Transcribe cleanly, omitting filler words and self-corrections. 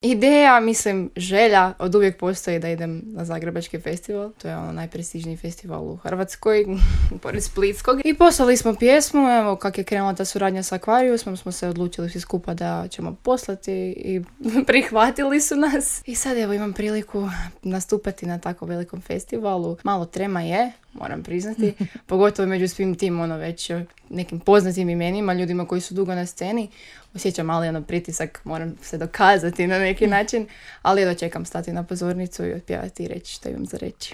Ideja, mislim, želja od uvijek postoji da idem na Zagrebački festival. To je ono najprestižniji festival u Hrvatskoj, pored Splitskog. I poslali smo pjesmu, evo kak je krenula ta suradnja sa Aquariusom, smo se odlučili svi skupa da ćemo poslati i prihvatili su nas. I sad evo imam priliku nastupati na tako velikom festivalu. Malo trema je, moram priznati, pogotovo među svim tim već nekim poznatim imenima, ljudima koji su dugo na sceni. Osjećam mali pritisak, moram se dokazati na neki način, ali čekam stati na pozornicu i otpjevati i reći što imam za reći.